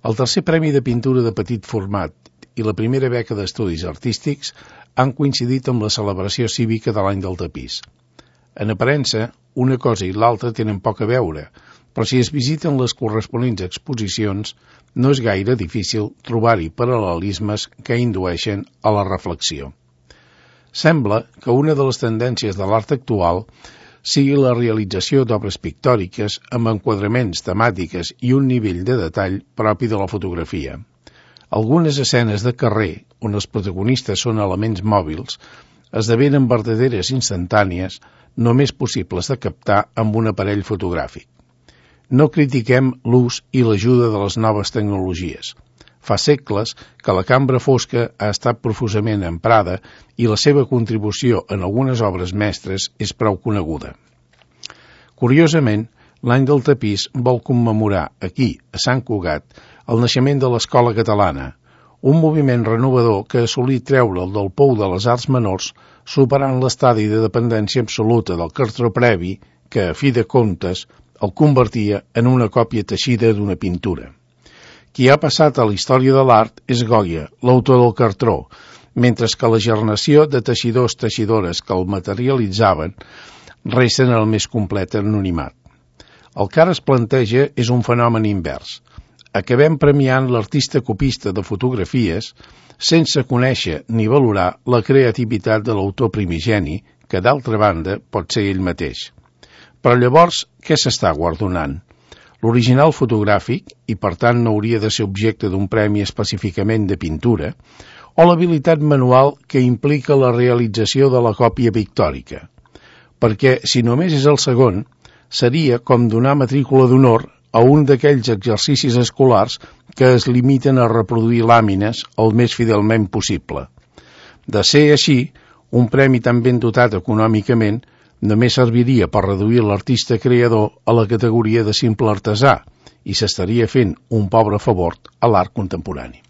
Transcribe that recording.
El tercer premi de pintura de petit format i la primera beca d'estudis artístics han coincidit amb la celebració cívica de l'any del tapís. En aparença, una cosa i l'altra tenen poc a veure, però si es visiten les corresponents exposicions, no és gaire difícil trobar-hi paral·lelismes que indueixen a la reflexió. Sembla que una de les tendències de l'art actual sigui la realització d'obres pictòriques amb enquadraments, temàtiques i un nivell de detall propi de la fotografia. Algunes escenes de carrer, on els protagonistes són elements mòbils, esdevenen verdaderes instantànies, només possibles de captar amb un aparell fotogràfic. No critiquem l'ús i l'ajuda de les noves tecnologies. Fa segles que la cambra fosca ha estat profusament emprada i la seva contribució en algunes obres mestres és prou coneguda. Curiosament, l'any del tapís vol commemorar aquí, a Sant Cugat, el naixement de l'Escola Catalana, un moviment renovador que assolí treure'l del pou de les arts menors, superant l'estadi de dependència absoluta del cartró previ que, a fi de comptes, el convertia en una còpia teixida d'una pintura. Qui ha passat a la història de l'art és Goya, l'autor del cartró, mentre que la generació de teixidors-teixidores que el materialitzaven resten el més complet anonimat. El que ara es planteja és un fenomen invers. Acabem premiant l'artista copista de fotografies sense conèixer ni valorar la creativitat de l'autor primigeni, que d'altra banda pot ser ell mateix. Però llavors, què s'està guardonant? L'original fotogràfic, i per tant no hauria de ser objecte d'un premi específicament de pintura, o l'habilitat manual que implica la realització de la còpia pictòrica. Perquè, si només és el segon, seria com donar matrícula d'honor a un d'aquells exercicis escolars que es limiten a reproduir làmines el més fidelment possible. De ser així, un premi tan ben dotat econòmicament només serviria per reduir l'artista creador a la categoria de simple artesà i s'estaria fent un pobre favor a l'art contemporani.